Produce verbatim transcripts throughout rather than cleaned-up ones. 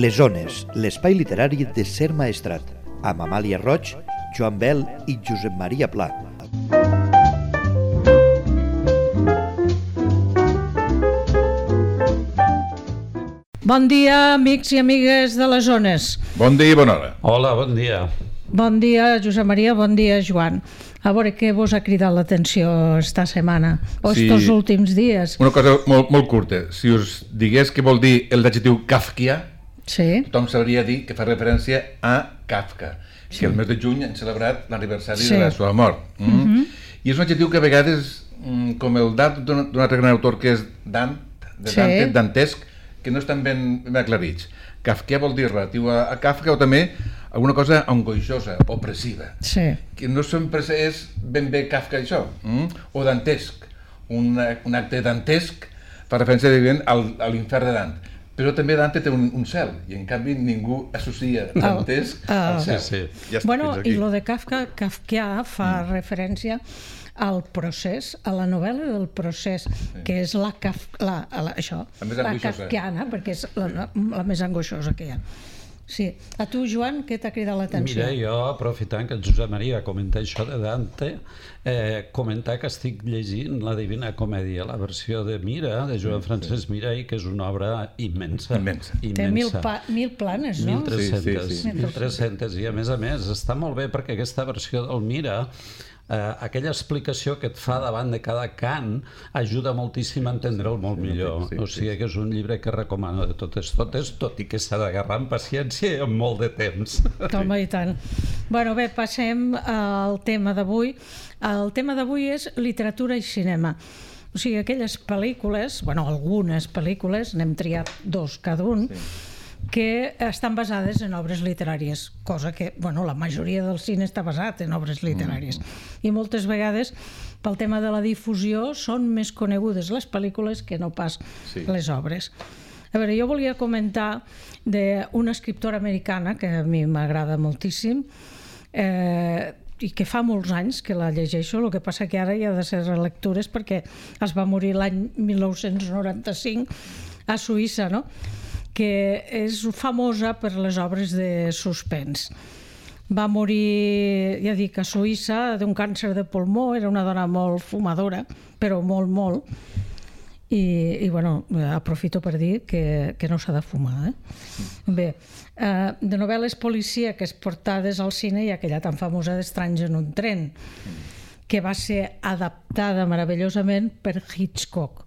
Les Ones, l'espai literari de Ser Maestrat, amb Amàlia Roig, Joan Bel i Josep Maria Pla. Bon dia, amics i amigues de les Ones. Bon dia i bona hora. Hola, bon dia. Bon dia, Josep Maria, bon dia, Joan. A veure què vos ha cridat l'atenció esta setmana, o Sí. estos últims dies. Una cosa molt, molt curta. Si us digués què vol dir l'adjectiu kafkià, Sí, tothom sabria dir que fa referència a Kafka, sí. que el mes de juny han celebrat l'aniversari Sí. de la seva mort. Mm? Mhm. I és un adjectiu que a vegades, mm, com el d'art d'un d'un altre gran autor que és Dant, de Sí. Dante, dantesc, que no estan ben, ben aclarits. Kafkià vol dir relatiu a, a Kafka o també alguna cosa angoixosa, opressiva, sí, que no sempre és ben bé Kafka això, mm? o dantesc, un, un acte dantesc fa referència evident al, a l'infern de Dant, però també Dante té un, un cel, i en canvi ningú associa dantesc Ah. al cel. Sí, Ja està, bueno, fins aquí. i lo de Kafka, Kafkià fa mm. referència al procés, a la novel·la del procés, sí. que és la, Kaf, la, la, això, La més la angoixosa. kafkiana, perquè és la, la més angoixosa que hi ha. Sí. A tu, Joan, què t'ha cridat l'atenció? Mira, jo, aprofitant que el Josep Maria comenta això de Dante, eh, comentar que estic llegint la Divina Comèdia, la versió de Mira, de Joan Francesc Mirall, que és una obra immensa. Immensa. Té mil, pa, mil planes, no? mil tres-cents, Sí, sí, sí. mil tres-cents, i a més a més està molt bé perquè aquesta versió del Mira, eh, aquella explicació que et fa davant de cada cant ajuda moltíssim a entendre'l molt millor. sí, O sí, sigui que és un llibre que recomano de totes totes, tot i que s'ha d'agarrar amb paciència i amb molt de temps. Home, i tant. Bueno, bé, passem al tema d'avui. El tema d'avui és literatura i cinema. O sigui, aquelles pel·lícules, bueno, algunes pel·lícules, n'hem triat dos cada un, sí. que estan basades en obres literàries, cosa que, bueno, la majoria del cine està basat en obres literàries. Mm. I moltes vegades, pel tema de la difusió, són més conegudes les pel·lícules que no pas Sí. les obres. A veure, jo volia comentar d'una escriptora americana que a mi m'agrada moltíssim, eh, i que fa molts anys que la llegeixo, el que passa que ara hi ha de ser relectures perquè es va morir l'any mil nou-cents noranta-cinc a Suïssa, no? Que és famosa per les obres de suspens. Va morir, ja dic, a Suïssa d'un càncer de pulmó, era una dona molt fumadora, però molt, molt, i, i bueno, aprofito per dir que, que no s'ha de fumar. Eh? Bé, eh, de novel·les policíaques portades al cine hi ha aquella tan famosa d'Estranys en un tren, que va ser adaptada meravellosament per Hitchcock.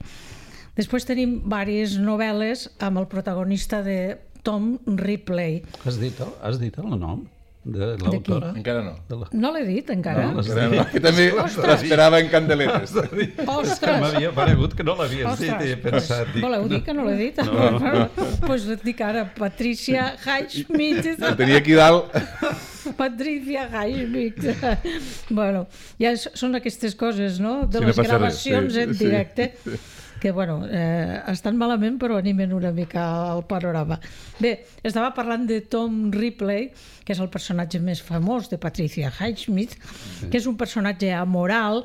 Després tenim diverses novel·les amb el protagonista de Tom Ripley. Has dit, el- has dit el nom de l'autora? Encara no. De la... No l'he dit encara? No, Encara no. Que també l'esperava en candeletes. És que Ostres! m'havia paregut que no l'havies dit i he Ostres, pensat... pues, voleu dir que no l'he dit? Doncs pues et dic ara, Patricia Highsmith. El tenia aquí dalt. Patricia Highsmith. Bueno, ja és- són aquestes coses, no? De Sí, no les passa res, gravacions sí, en sí. directe, que, bueno, eh, estan malament, però animen una mica el panorama. Bé, estava parlant de Tom Ripley, que és el personatge més famós de Patricia Highsmith, que és un personatge amoral,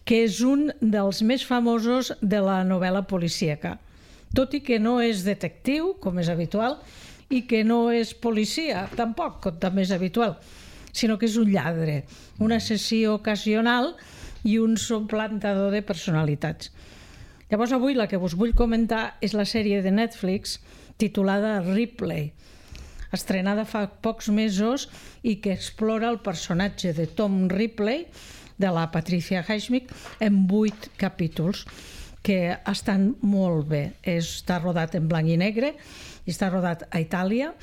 que és un dels més famosos de la novel·la policíaca. Tot i que no és detectiu, com és habitual, i que no és policia, tampoc, com també és habitual, sinó que és un lladre, un assassí ocasional i un suplantador de personalitats. Llavors avui la que us vull comentar és la sèrie de Netflix titulada Ripley, estrenada fa pocs mesos i que explora el personatge de Tom Ripley, de la Patricia Highsmith, en vuit capítols que estan molt bé. Està rodat en blanc i negre i està rodat a Itàlia,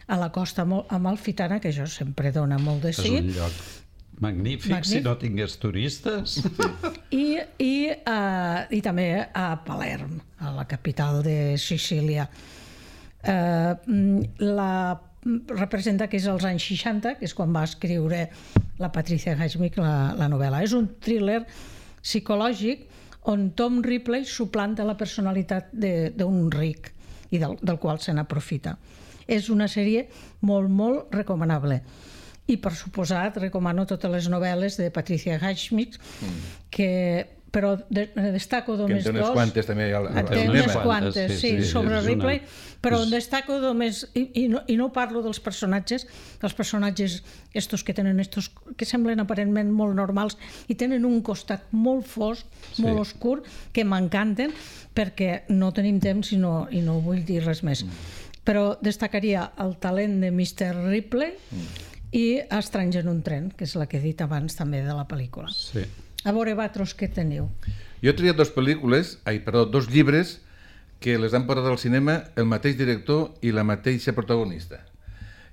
a la costa amalfitana, que això sempre dona molt de És sí. un lloc magnífic, Magnífic. si no tingués turistes. I, i, uh, i també a Palerm, a la capital de Sicília. Uh, la representa que és als anys seixanta, que és quan va escriure la Patricia Highsmith la, la novel·la. És un thriller psicològic on Tom Ripley suplanta la personalitat d'un ric i del, del qual se n'aprofita. És una sèrie molt, molt recomanable. I, per suposat, recomano totes les novel·les de Patricia Highsmith, mm. que però de, destaco només dos. Que en té unes quantes també al, al, al té cinema. unes quantes, sí, sí, sí, sobre Ripley, una... però en destaco només, i, i, no, i no parlo dels personatges, dels personatges estos que tenen estos, que semblen aparentment molt normals i tenen un costat molt fosc, sí. molt oscur, que m'encanten, perquè no tenim temps i no, i no vull dir res més. Mm. Però destacaria el talent de mister Ripley mm. i Estrany en un tren, que és la que he dit abans també de la pel·lícula. Sí. A veure, vosaltres, què teniu? Jo he triat dues pel·lícules, ai, perdó, dos llibres que les han portat al cinema el mateix director i la mateixa protagonista.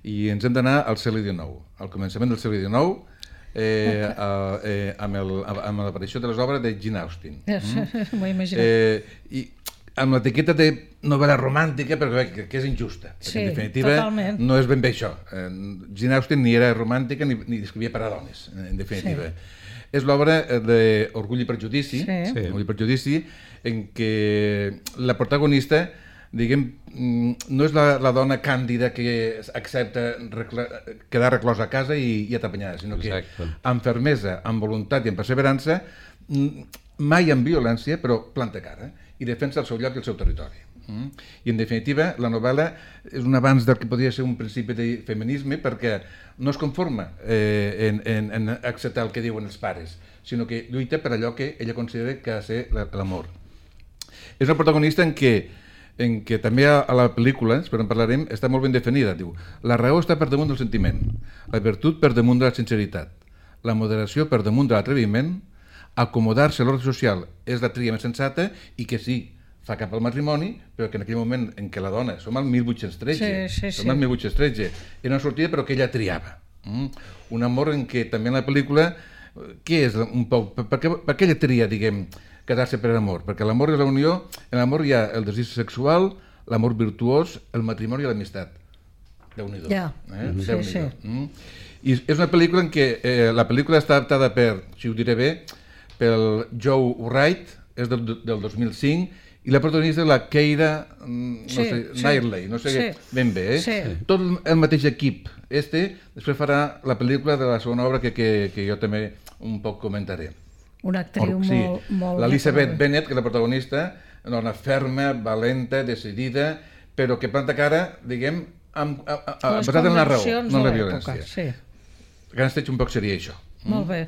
I ens hem d'anar al segle dinou, al començament del segle dinou, eh, a, eh, amb, el, amb l'aparició de les obres de Jane Austen. Mm? M'ho he imaginat. Eh, I amb l'etiqueta de novel·la romàntica, perquè que, que és injusta. Sí, en definitiva, totalment. no és ben bé això. Eh, Jane Austen ni era romàntica ni, ni escrivia per a dones, en definitiva. Sí. És l'obra d'Orgull i Prejudici, sí. Sí. Orgull i Prejudici, en què la protagonista, diguem, no és la, la dona càndida que accepta recla, quedar reclosa a casa i, i atapanyada, sinó que Exacte. amb fermesa, amb voluntat i amb perseverança, mai amb violència, però planta cara i defensa el seu lloc i el seu territori. Mm? I en definitiva la novel·la és un avanç del que podria ser un principi de feminisme, perquè no es conforma eh, en, en, en acceptar el que diuen els pares, sinó que lluita per allò que ella considera que ha de ser l'amor. És una protagonista en què, en què també a la pel·lícula, però en parlarem, està molt ben definida. Diu, la raó està per damunt del sentiment, la virtut per damunt de la sinceritat, la moderació per damunt de l'atreviment, acomodar-se a l'ordre social és la tria més sensata i que sí, fa cap al matrimoni, però que en aquell moment en què la dona, som al mil vuit-cents tretze, sí, sí, som al mil vuit-cents tretze, era una sortida però que ella triava. Mm? Un amor en què també en la pel·lícula, què és un poc, per, per, què, per què ella tria, diguem, casar-se per amor? Perquè l'amor és la unió, en l'amor hi ha el desig sexual, l'amor virtuós, el matrimoni i l'amistat. Déu-n'hi-do. Ja, eh? sí, Déu-n'hi-do. sí. Mm? I és una pel·lícula en què eh, la pel·lícula està adaptada per, si ho diré bé, pel Joe Wright, és del, del dos mil cinc, i la protagonista és la Keira no sí, sé, sí. Knightley, no sé sí. ben bé, eh? Sí. Tot el mateix equip. Este després farà la pel·lícula de la segona obra que, que, que jo també un poc comentaré. Una actriu Or, sí. molt... molt L'Elizabeth Bennet, que és la protagonista, una dona ferma, valenta, decidida, però que planta cara, diguem, amb, a, a, a, basada en la raó, no en la violència. Sí. Grans Trets un poc seria això. Molt bé.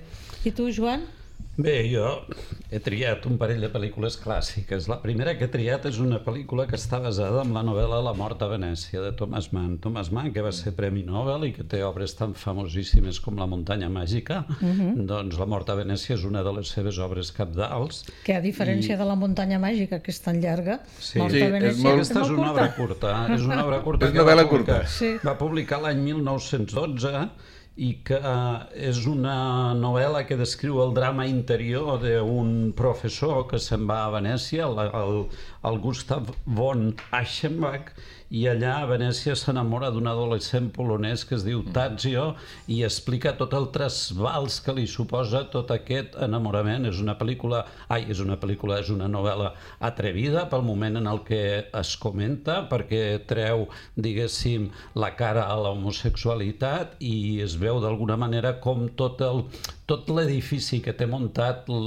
I tu, Joan? Bé, jo he triat un parell de pel·lícules clàssiques. La primera que he triat és una pel·lícula que està basada en la novel·la La mort a Venècia, de Thomas Mann. Thomas Mann, que va ser Premi Nobel i que té obres tan famosíssimes com La muntanya màgica, uh-huh. doncs La mort a Venècia és una de les seves obres cabdals. Que a diferència I... de La muntanya màgica, que és tan llarga, sí. Mort sí, a Venècia és molt... Aquesta és, és una obra curta. És una obra curta. És novel·la curta. Sí. Va publicar l'any mil nou-cents dotze i que és una novel·la que descriu el drama interior d'un professor que se'n va a Venècia, el, el, el Gustav von Aschenbach, i allà a Venècia s'enamora d'un adolescent polonès que es diu Tadzio i explica tot el trasbals que li suposa tot aquest enamorament. És una pel·lícula, ai, és una pel·lícula, és una novel·la atrevida pel moment en el que es comenta, perquè treu, diguéssim, la cara a l'homosexualitat i es veu d'alguna manera com tot el tot l'edifici que té muntat el,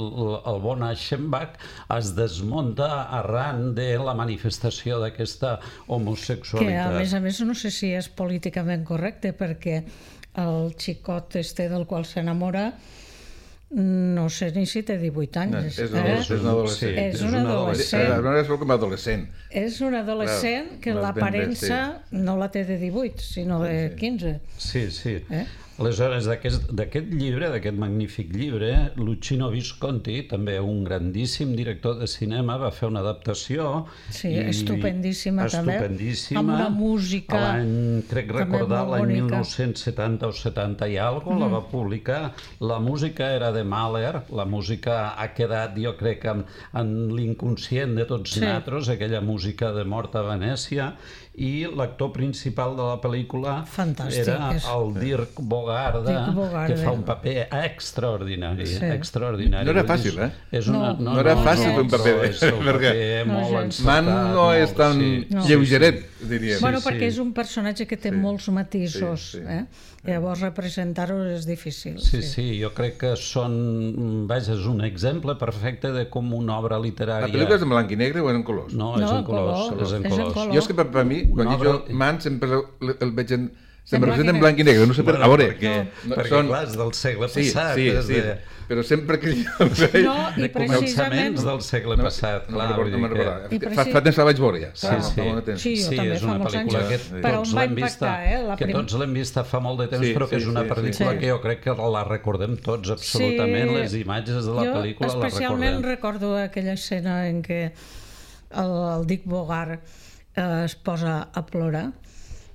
el bon Aschenbach es desmunta arran de la manifestació d'aquesta homosexualitat. Que a més a més no sé si és políticament correcte, perquè el xicot este del qual s'enamora no sé ni si té divuit anys. No, és, un, eh? és un adolescent. Sí, és un adolescent. És com adolescent. És un adolescent que l'aparença no la té de divuit, sinó de quinze. Sí, sí. Eh? Aleshores, d'aquest llibre, d'aquest magnífic llibre, Luchino Visconti, també un grandíssim director de cinema, va fer una adaptació. Sí, i, estupendíssima, estupendíssima també. Amb una música l'any, crec recordar, l'any mil nou-cents setanta o setanta i alguna cosa, mm. la va publicar. La música era de Mahler, la música ha quedat, jo crec, en, en l'inconscient de tots sí. nosaltres, aquella música de Mort a Venècia, i l'actor principal de la pel·lícula Fantàstic, era és... el Dirk Bogarde, Bogarda, Dick Bogarda. que fa un paper extraordinari, Sí. extraordinari. No era Vull dir, fàcil, eh? És una, No. No era fàcil fer un però paper, és un perquè paper No, molt gens. encertat. Man no és molt, tan sí. No. lleugeret, diríem. Bueno, sí. perquè és un personatge que té Sí. molts matisos, Sí, sí. eh? Llavors representar-ho és difícil. Sí, sí, jo crec que són... Vaja, és un exemple perfecte de com una obra literària... La pel·lícula és en blanc i negre o en colors? No, és No, en colors. color. És en És en colors. color. Jo és que per, per mi, quan Una dic jo obra- Man, sempre el, el veig en... En Sempre blanc i representa en negre. blanc i negre, no sé per... Bueno, A veure, perquè, no, perquè són- clar, és del segle Sí, passat. sí, és sí, de, però sempre que jo el veig... No, i de precisament... començaments del segle No, passat, no clar. me'n vull recordo, no dir me'n que- recordo. I Fa, preci- fa temps la vaig veure, ja. Sí, Fa- sí. fa molt de temps. Sí, jo Sí, també és fa una molts anys. pel·lícula que Però tots em va l'hem vista, impactar, eh? La que prim- tots l'hem vista fa molt de temps, Sí, però que sí, és una sí, sí. pel·lícula Sí. que jo crec que la recordem tots, absolutament. Sí. Les imatges de la Jo pel·lícula les especialment recordem. recordo aquella escena en què el, el Dick Bogart eh, es posa a plorar,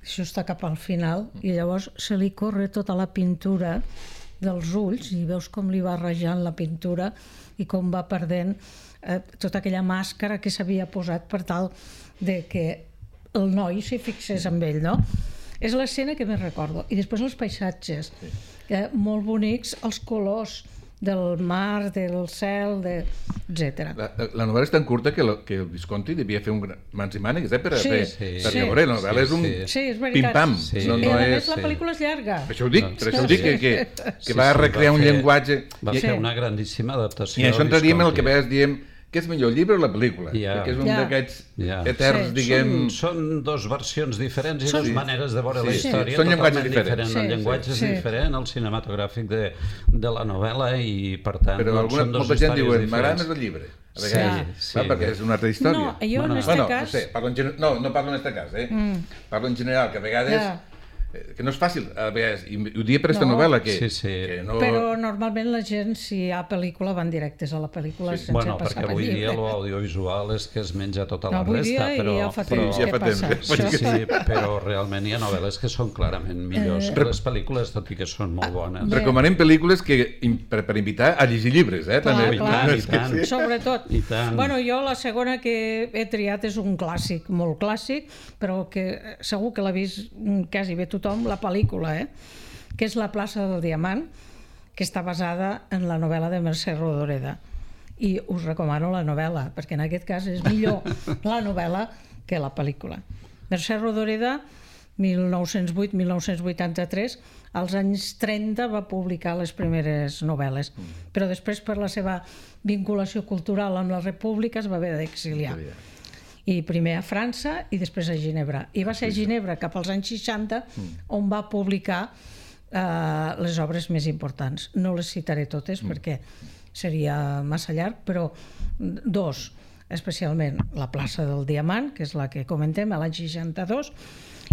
això està cap al final, i llavors se li corre tota la pintura dels ulls i veus com li va rajant la pintura i com va perdent eh, tota aquella màscara que s'havia posat per tal de que el noi s'hi fixés amb ell, no? És l'escena que més recordo. I després els paisatges, eh, molt bonics, els colors del mar, del cel, de... etcètera. La, la novel·la és tan curta que, lo, que el Visconti devia fer un gran, mans i mànegues, eh, per, Sí, per, sí, per sí. veure, la novel·la és un Sí, Sí, és veritat. pim-pam. Sí. No, I no a és... més la sí. pel·lícula és llarga. Per això ho dic, per això ho dic, que, que, que Sí, va sí, recrear va un fer- llenguatge... Va I, fer Sí. una grandíssima adaptació. I això entraríem en el que Visconti. veies diem què és millor, el llibre o la pel·lícula? Ja. Que és un Ja. d'aquests Ja. eterns, Sí. diguem... Són, són dos versions diferents i Són- dues maneres de veure Sí, la sí. història Són llenguatges totalment diferents. diferents. El Sí, llenguatge és sí. diferent, el cinematogràfic de, de la novel·la i, per tant, Però doncs, alguna, són dos molta gent històries diuen, m'agrada diferents. més el llibre. A Sí, vegades, sí. va, perquè és una altra història. No, jo Bueno, en este Bueno, no cas... sé, parlo en gen... no, no parlo en aquest cas, eh? Mm. Parlo en general, que a vegades... Ja. eh, que no és fàcil, a vegades, i ho diria per aquesta No. novel·la, que, Sí, sí. que no... Però normalment la gent, si hi ha pel·lícula, van directes a la pel·lícula Sí. sense Bueno, passar perquè pel avui dia llibre. l'audiovisual és que es menja tota No, la avui resta, dia però... ja fa però- temps ja que fa temps, passa ja fa això. temps. Sí, però realment hi ha novel·les que són clarament millors que les pel·lícules, tot i que són molt bones. Bé. Recomanem pel·lícules que, in- per, per invitar a llegir llibres, eh? Clar, també. I clar. tant, i tant. Sobretot. I tant. Bueno, jo la segona que he triat és un clàssic, molt clàssic, però que segur que l'ha vist mm, quasi bé tothom, la pel·lícula, eh? Que és La plaça del Diamant, que està basada en la novel·la de Mercè Rodoreda. I us recomano la novel·la, perquè en aquest cas és millor la novel·la que la pel·lícula. Mercè Rodoreda, mil nou-cents vuit a mil nou-cents vuitanta-tres, als anys trenta va publicar les primeres novel·les, però després per la seva vinculació cultural amb la República es va haver d'exiliar. I primer a França i després a Ginebra. I va ser a Ginebra cap als anys seixanta on va publicar eh, les obres més importants. No les citaré totes perquè seria massa llarg, però dos, especialment La plaça del Diamant, que és la que comentem, a l'any seixanta-dos,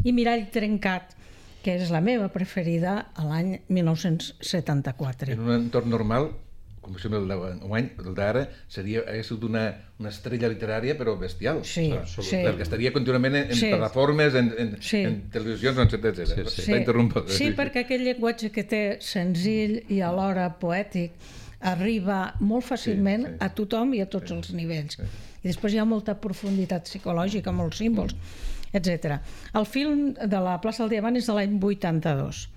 i Mirall trencat, que és la meva preferida, a l'any mil nou-cents setanta-quatre. En un entorn normal, com si el d'any, el d'ara, seria, hagués sigut una, una estrella literària, però bestial. Sí, Absolut. sí. Perquè estaria contínuament en, en Sí. plataformes, en, en, Sí. en televisions, etcètera, etcètera. Sí, sí. Està interromput. Sí, perquè aquest llenguatge que té senzill i alhora poètic arriba molt fàcilment Sí, sí. a tothom i a tots els nivells. I després hi ha molta profunditat psicològica, molts símbols, etcètera. El film de La plaça del Diamant és de l'any vuitanta-dos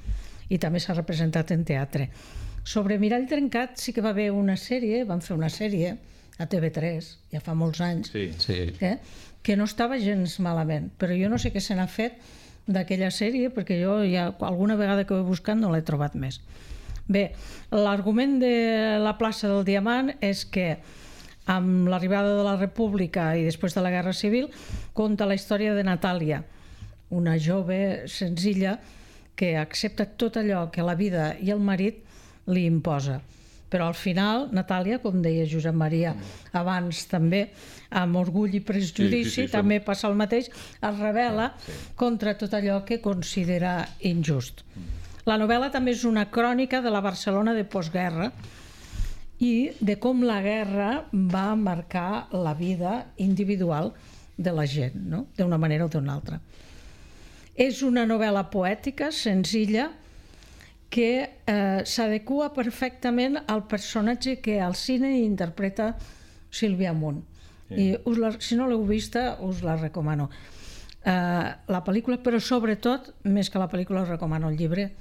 i també s'ha representat en teatre. Sobre Mirall trencat sí que va haver una sèrie, van fer una sèrie a T V tres, ja fa molts anys, Sí. Sí. eh? que no estava gens malament, però jo no sé què se n'ha fet d'aquella sèrie, perquè jo ja alguna vegada que ho he buscat no l'he trobat més. Bé, l'argument de La plaça del Diamant és que amb l'arribada de la República i després de la Guerra Civil conta la història de Natàlia, una jove senzilla que accepta tot allò que la vida i el marit li imposa. Però al final, Natàlia, com deia Josep Maria abans també, amb orgull i prejudici, Sí, sí, sí, també passa el mateix, es rebel·la contra tot allò que considera injust. La novel·la també és una crònica de la Barcelona de postguerra i de com la guerra va marcar la vida individual de la gent, no? D'una manera o d'una altra. És una novel·la poètica, senzilla, que eh, s'adequa perfectament al personatge que al cine interpreta Sílvia Munt. Sí. I us la, si no l'heu vista, us la recomano. Eh, la pel·lícula, però sobretot, més que la pel·lícula, us recomano el llibre,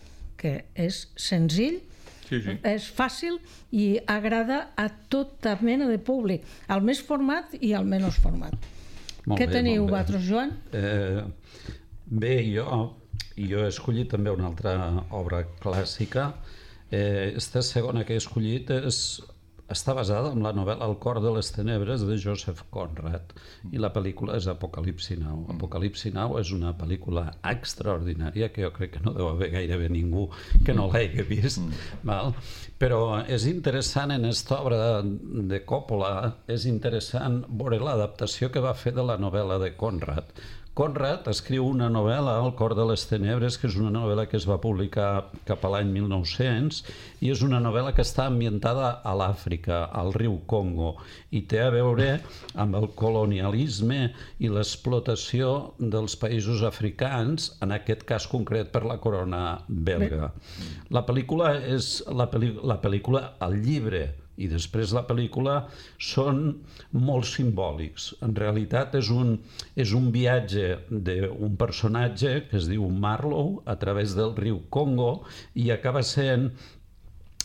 perquè és senzill, Sí, sí. és fàcil i agrada a tota mena de públic, al més format i al menys format. Molt Què bé, teniu molt bé. vosaltres, Joan? Eh, bé, jo, jo he escollit també una altra obra clàssica. Eh, esta segona que he escollit és, està basada en la novel·la El cor de les tenebres de Joseph Conrad i la pel·lícula és Apocalipsi Now. Apocalipsi Now és una pel·lícula extraordinària que jo crec que no deu haver gairebé ningú que no l'hagi vist, val? Però és interessant en aquesta obra de Coppola, és interessant veure l'adaptació que va fer de la novel·la de Conrad. Conrad escriu una novel·la, El cor de les tenebres, que és una novel·la que es va publicar cap a l'any mil nou-cents i és una novel·la que està ambientada a l'Àfrica, al riu Congo, i té a veure amb el colonialisme i l'explotació dels països africans, en aquest cas concret per la corona belga. La pel·lícula és la, pel·li, la pel·lícula, el llibre i després la pel·lícula són molt simbòlics. En realitat és un, és un viatge d'un personatge que es diu Marlowe a través del riu Congo i acaba sent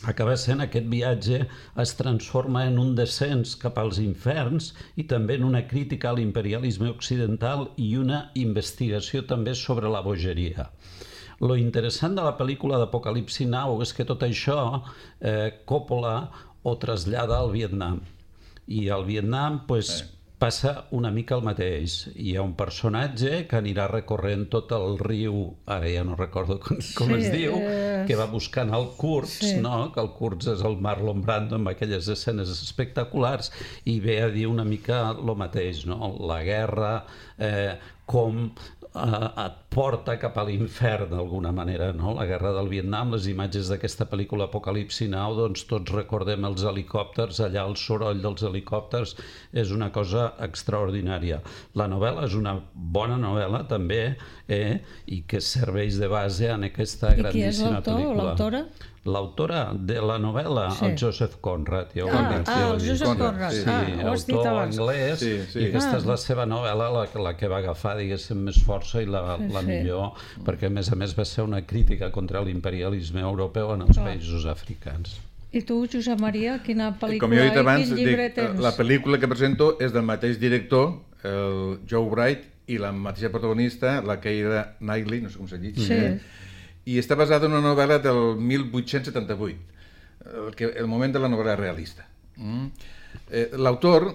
acaba sent aquest viatge es transforma en un descens cap als inferns i també en una crítica a l'imperialisme occidental i una investigació també sobre la bogeria. Lo interessant de la pel·lícula d'Apocalipsi Now és que tot això eh, Coppola ho trasllada al Vietnam. I al Vietnam pues, sí. passa una mica el mateix. Hi ha un personatge que anirà recorrent tot el riu, ara ja no recordo com, com sí, es diu, eh... que va buscant el Kurtz, sí. no? Que el Kurtz és el Marlon Brando amb aquelles escenes espectaculars i ve a dir una mica el mateix, no? La guerra, eh, com et porta cap a l'infern d'alguna manera, no? La guerra del Vietnam, les imatges d'aquesta pel·lícula Apocalipsi Now, doncs tots recordem els helicòpters, allà el soroll dels helicòpters és una cosa extraordinària. La novel·la és una bona novel·la també, eh? I que serveix de base en aquesta grandíssima pel·lícula. I qui és l'autor o l'autora? L'autora de la novel·la, sí. el Joseph Conrad. Ja ah, ah, el Joseph Conrad. Sí, ah, autor anglès, sí, sí. I aquesta ah. és la seva novel·la, la, la que va agafar, diguéssim, més força i la, sí, la millor, sí. perquè a més a més va ser una crítica contra l'imperialisme europeu en els ah. països africans. I tu, Josep Maria, quina pel·lícula Com jo he dit abans, i quin llibre dic, tens? La pel·lícula que presento és del mateix director, el Joe Wright, i la mateixa protagonista, la Keira Knightley, no sé com se diu, sí. i està basada en una novel·la del mil vuit-cents setanta-vuit, el, que, el moment de la novel·la realista. Mm. Eh, l'autor,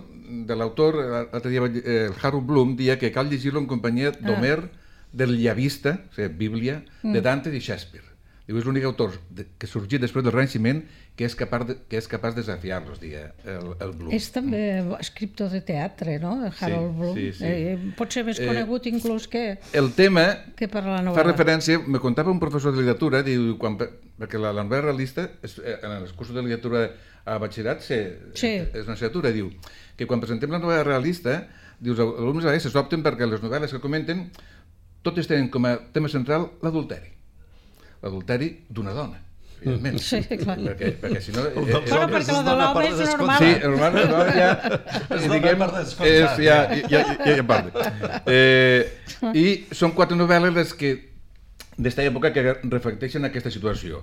de l'autor, l'altre dia, eh, el Harold Bloom, dia que cal llegir-lo en companyia d'Homer, ah. del Llavista, o sigui, Bíblia, mm. de Dante i Shakespeare. Diu, és l'únic autor de, que sorgit després del Renaixement que és capaç de, que és capaç de desafiar-los, diria el, el Bloom. És també escriptor de teatre, no? El Harold sí, Bloom. Sí, sí. Eh, pot ser més conegut eh, inclús que, el tema que per la novel·la. Fa referència, me contava un professor de literatura, diu, quan, perquè la, la novel·la realista, és, en els cursos de literatura a batxillerat, sí. és una assignatura, diu, que quan presentem la novel·la realista, dius, els alumnes a vegades s'opten perquè les novel·les que comenten totes tenen com a tema central l'adulteri. L'adulteri d'una dona, evidentment. Sí, clar. Perquè, perquè si no... Eh, eh, bueno, perquè la de l'home és normal. Sí, el normal és normal, ja... És diguem, per descomptat. És, ja, ja, ja, ja parla. Eh, I són quatre novel·les les que d'esta època que reflecteixen aquesta situació.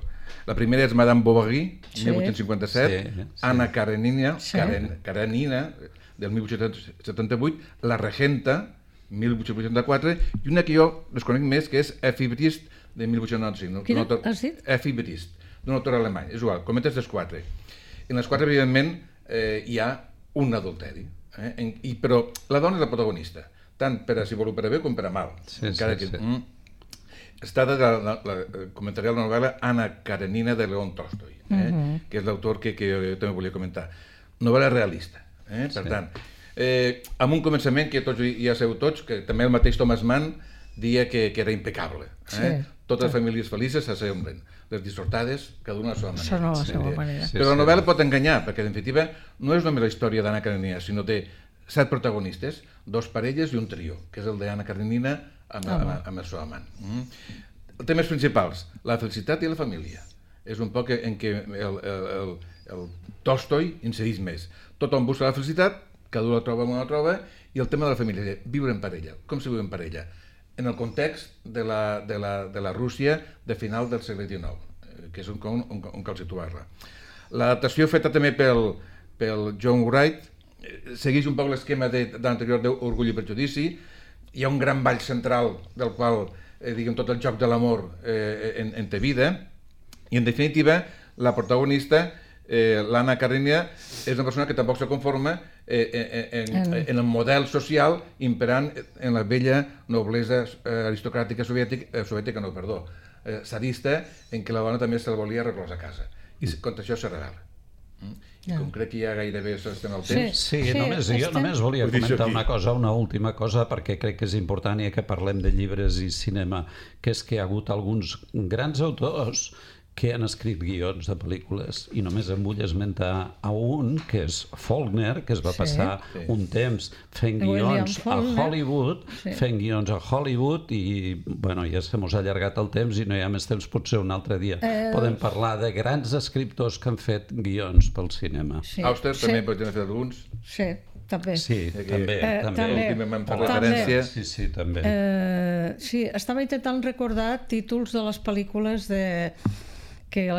La primera és Madame Bovary, sí. mil vuit-cents cinquanta-set, sí, sí. Anna Karenina, sí. Karen, Karenina, del mil vuit-cents setanta-vuit, La Regenta, mil vuit-cents vuitanta-quatre, i una que jo desconec més, que és Effie Briest, de mil vuit-cents noranta-cinc. Quina has dit? Effie Briest, d'un autor alemany. És igual, cometes les quatre. En les quatre, evidentment, eh, hi ha un adulteri. Eh? En, i, però la dona és la protagonista, tant per a si vol per a bé com per a mal. Sí, encara sí, que, sí. Mm, està de la, la, la, comentaré la novel·la Anna Karenina de León Tolstoi, eh? uh-huh. que és l'autor que, que jo, jo també volia comentar. Novel·la realista. Eh? Per sí. tant, eh, amb un començament que tots ja sabeu tots, que també el mateix Thomas Mann dia que, que era impecable. Eh? Sí. Totes les famílies felices s'assemblen. Les dissortades, cada una a la seva manera. Són a la seva manera. Sí, però la novel·la pot enganyar, perquè, en definitiva, no és només la història d'Anna Karenina, sinó té set protagonistes, dos parelles i un trio, que és el d'Anna Karenina amb, oh. amb, amb el seu amant. Mm. Els temes principals, la felicitat i la família. És un poc en què el, el, el, el Tolstoi incideix més. Tothom busca la felicitat, cada un la troba on la troba, i el tema de la família, viure en parella. Com se viu en parella? En el context de la, de la, de la Rússia de final del segle dinou. que és un, un, un, un cal situar-la. L'adaptació feta també pel, pel John Wright segueix un poc l'esquema de, de l'anterior d'Orgull i Prejudici. Hi ha un gran ball central del qual eh, diguem, tot el joc de l'amor eh, en, en té vida, i en definitiva la protagonista, eh, l'Anna Karenina, és una persona que tampoc se conforma eh, en, en, en el model social imperant en la vella noblesa eh, aristocràtica soviètica, eh, soviètica no, perdó, eh, sadista, en què la dona també se'l volia reclosa a casa. I contra això se rebel·la. Mm? I com crec que ja gairebé s'estem al temps... Sí, sí, només, jo estem... només volia comentar una cosa, una última cosa, perquè crec que és important, ja que parlem de llibres i cinema, que és que hi ha hagut alguns grans autors que han escrit guions de pel·lícules, i només em vull esmentar a un, que és Faulkner, que es va sí, passar sí. un temps fent guions a Hollywood, sí. fent guions a Hollywood, i bueno, ja se mos ha allargat el temps i no hi ha més temps, potser un altre dia. Eh... Podem parlar de grans escriptors que han fet guions pel cinema. Sí. Auster sí. també pot haver fet alguns. Sí. També. Sí, que, també. Eh, també. Últimament per referència. Sí, sí, també. Eh, sí, estava intentant recordar títols de les pel·lícules de... que el,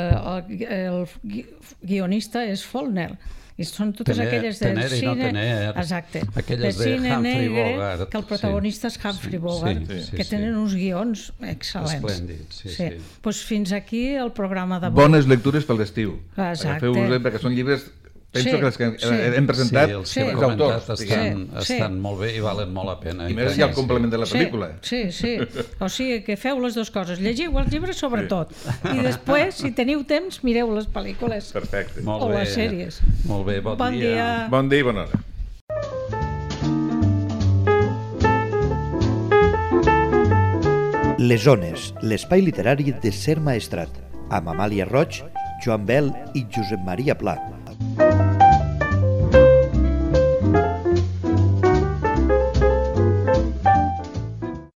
el, el guionista és Faulkner. I són totes tener, aquelles del tener cine... No tener, exacte. Aquelles de, de Humphrey Bogart. Que el protagonista sí. és Humphrey Bogart, sí, sí, que sí, tenen sí. uns guions excel·lents. Esplèndids, sí, sí. sí. Pues fins aquí el programa d'avui. Bones lectures pel l'estiu. Exacte. Agafeu-vos, perquè són llibres... Penso sí, que els que sí. hem presentat sí, els, que els autors estan, sí, estan sí. molt bé i valen molt la pena. I més hi ha el complement de la pel·lícula. Sí, sí, sí. O sigui que feu les dues coses. Llegiu els llibres sobretot. Sí. I després, si teniu temps, mireu les pel·lícules. Perfecte. Molt o bé. les sèries. Molt bé, bon, bon dia. dia. Bon dia i bona hora. Les Ones, l'espai literari de Ser Maestrat, amb Amàlia Roig, Joan Bel i Josep Maria Pla.